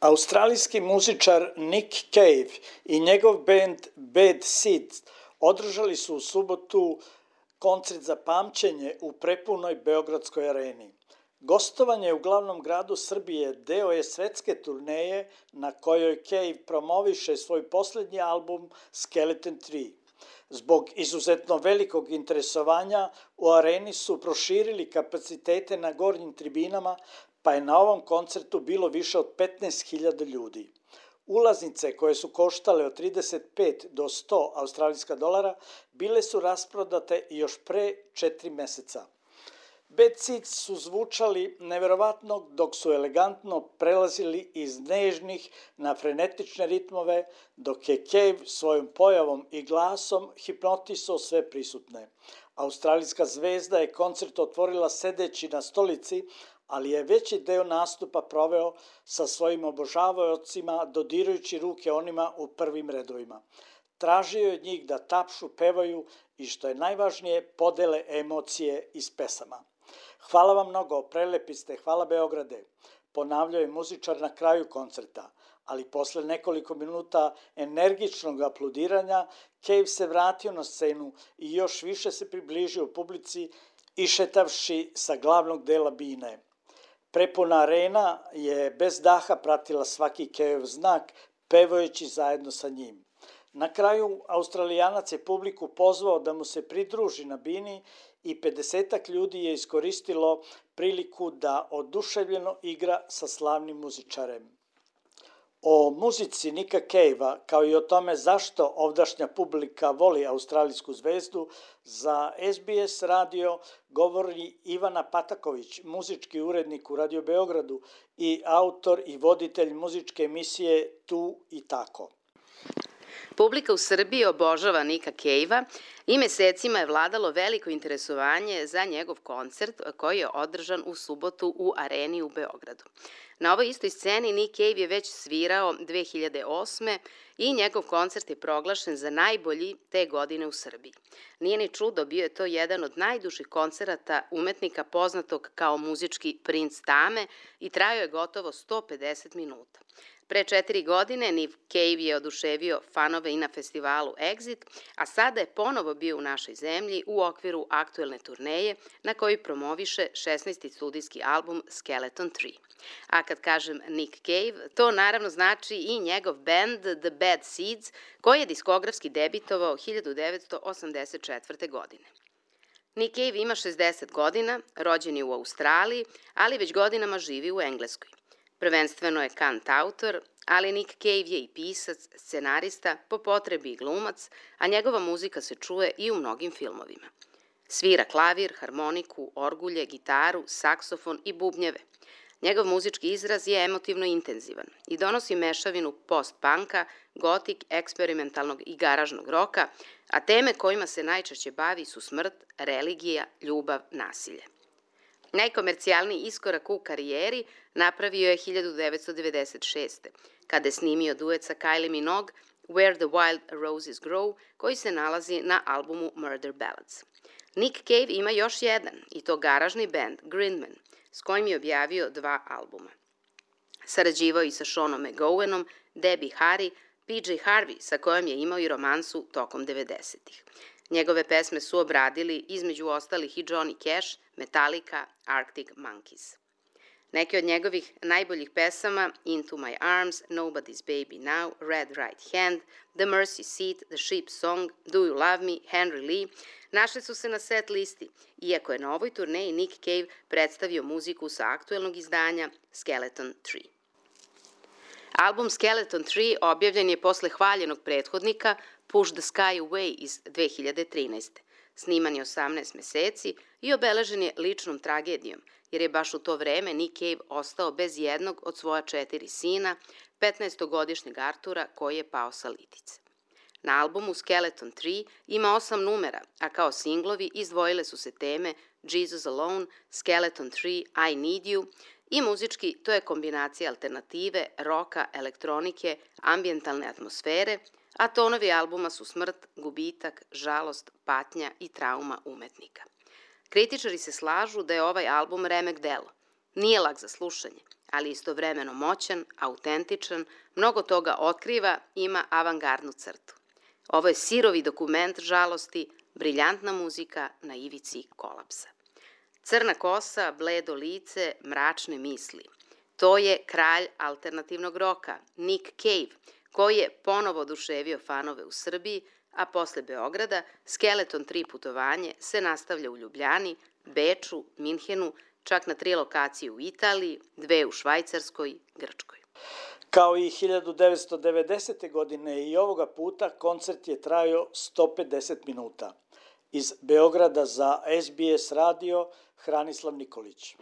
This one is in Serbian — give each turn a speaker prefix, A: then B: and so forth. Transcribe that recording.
A: Australijski muzičar Nick Cave i njegov bend Bad Seeds održali su u subotu koncert za pamćenje u prepunoj Beogradskoj areni. Gostovanje u glavnom gradu Srbije deo je svetske turneje na kojoj Cave promoviše svoj posljednji album Skeleton 3. Zbog izuzetno velikog interesovanja u areni su proširili kapacitete na gornjim tribinama, pa je na ovom koncertu bilo više od 15.000 ljudi. Ulaznice, koje su koštale od 35 do 100 australijska dolara, bile su rasprodate još pre 4 meseca. Bad Seeds su zvučali neverovatno dok su elegantno prelazili iz nežnih na frenetične ritmove, dok je Cave svojom pojavom i glasom hipnotisao sve prisutne. Australijska zvezda je koncert otvorila sedeći na stolici, ali je veći deo nastupa proveo sa svojim obožavaocima dodirujući ruke onima u prvim redovima. Tražio je od njih da tapšu, pevaju i, što je najvažnije, podele emocije iz pesama. Hvala vam mnogo, prelepi ste, hvala Beograde, ponavljao je muzičar na kraju koncerta, ali posle nekoliko minuta energičnog aplaudiranja Cave se vratio na scenu i još više se približio publici išetavši sa glavnog dela bine. Prepuna arena je bez daha pratila svaki Caveov znak, pevajući zajedno sa njim. Na kraju, Australijanac je publiku pozvao da mu se pridruži na bini i 50-ak ljudi je iskoristilo priliku da oduševljeno igra sa slavnim muzičarem. O muzici Nicka Cavea, kao i o tome zašto ovdašnja publika voli australijsku zvezdu, za SBS radio govori Ivana Pataković, muzički urednik u Radio Beogradu i autor i voditelj muzičke emisije Tu i tako.
B: Publika u Srbiji obožava Nicka Cavea i mesecima je vladalo veliko interesovanje za njegov koncert koji je održan u subotu u areni u Beogradu. Na ovoj istoj sceni Nick Cave je već svirao 2008. i njegov koncert je proglašen za najbolji te godine u Srbiji. Nije ni čudo, bio je to jedan od najdužih koncerata umetnika poznatog kao muzički princ tame i trajao je gotovo 150 minuta. Pre 4 godine Nick Cave je oduševio fanove i na festivalu Exit, a sada je ponovo bio u našoj zemlji u okviru aktuelne turneje na kojoj promoviše 16. studijski album Skeleton 3. A kad kažem Nick Cave, to naravno znači i njegov band The Bad Seeds, koji je diskografski debitovao 1984. godine. Nick Cave ima 60 godina, rođen je u Australiji, ali već godinama živi u Engleskoj. Prvenstveno je kantautor, ali Nick Cave je i pisac, scenarista, po potrebi i glumac, a njegova muzika se čuje i u mnogim filmovima. Svira klavir, harmoniku, orgulje, gitaru, saksofon i bubnjeve. Njegov muzički izraz je emotivno intenzivan i donosi mešavinu post-punka, gotik, eksperimentalnog i garažnog roka, a teme kojima se najčešće bavi su smrt, religija, ljubav, nasilje. Najkomercijalniji iskorak u karijeri napravio je 1996. kada je snimio duet sa Kylie Minogue Where the Wild Roses Grow, koji se nalazi na albumu Murder Ballads. Nick Cave ima još jedan, i to garažni band Grindman, s kojim je objavio 2 albuma. Sarađivao i sa Seanom McGowanom, Debbie Harry, PJ Harvey, sa kojom je imao i romansu tokom 90-ih. Njegove pesme su obradili između ostalih i Johnny Cash, Metallica, Arctic Monkeys. Neke od njegovih najboljih pesama Into My Arms, Nobody's Baby Now, Red Right Hand, The Mercy Seat, The Sheep Song, Do You Love Me, Henry Lee našle su se na set listi, iako je na ovoj turneji Nick Cave predstavio muziku sa aktuelnog izdanja Skeleton 3. Album Skeleton 3 objavljen je posle hvaljenog prethodnika Push the Sky Away iz 2013. Sniman je 18 meseci i obeležen je ličnom tragedijom, jer je baš u to vreme Nick Cave ostao bez jednog od svoja 4 sina, 15-godišnjeg Artura koji je pao sa litice. Na albumu Skeleton 3 ima 8 numera, a kao singlovi izdvojile su se teme Jesus Alone, Skeleton 3, I Need You i muzički to je kombinacija alternative, roka, elektronike, ambijentalne atmosfere, a tonovi albuma su smrt, gubitak, žalost, patnja i trauma umetnika. Kritičari se slažu da je ovaj album remek delo. Nije lak za slušanje, ali istovremeno moćan, autentičan, mnogo toga otkriva, ima avangardnu crtu. Ovo je sirovi dokument žalosti, briljantna muzika na ivici kolapsa. Crna kosa, bledo lice, mračne misli. To je kralj alternativnog roka, Nick Cave, koji je ponovo oduševio fanove u Srbiji, a posle Beograda Skeleton 3 putovanje se nastavlja u Ljubljani, Beču, Minhenu, čak na 3 lokacije u Italiji, 2 u Švajcarskoj, Grčkoj.
A: Kao i 1990. godine i ovoga puta koncert je trajao 150 minuta. Iz Beograda za SBS radio Hranislav Nikolić.